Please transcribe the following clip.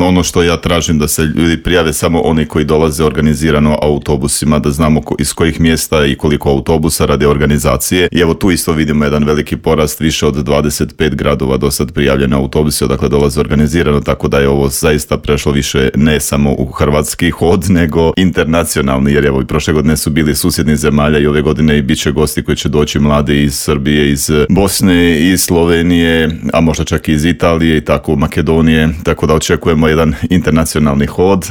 Ono što ja tražim da se ljudi prijave samo oni koji dolaze organizirano autobusima, da znamo iz kojih mjesta i koliko autobusa radi organizacije. I evo tu isto vidimo jedan veliki porast, više od 25 gradova do sad prijavljene autobusi, odakle dolaze organizirano, tako da je ovo zaista prešlo više ne samo u hrvatski hod, nego internacionalni, jer evo i prošle godine su bili susjednih zemalja i ove godine i bit će gosti koji će doći mladi iz Srbije, iz Bosne, iz Slovenije, a možda čak i iz Italije i tako Makedonije, tako da očekujemo jedan internacionalni hod.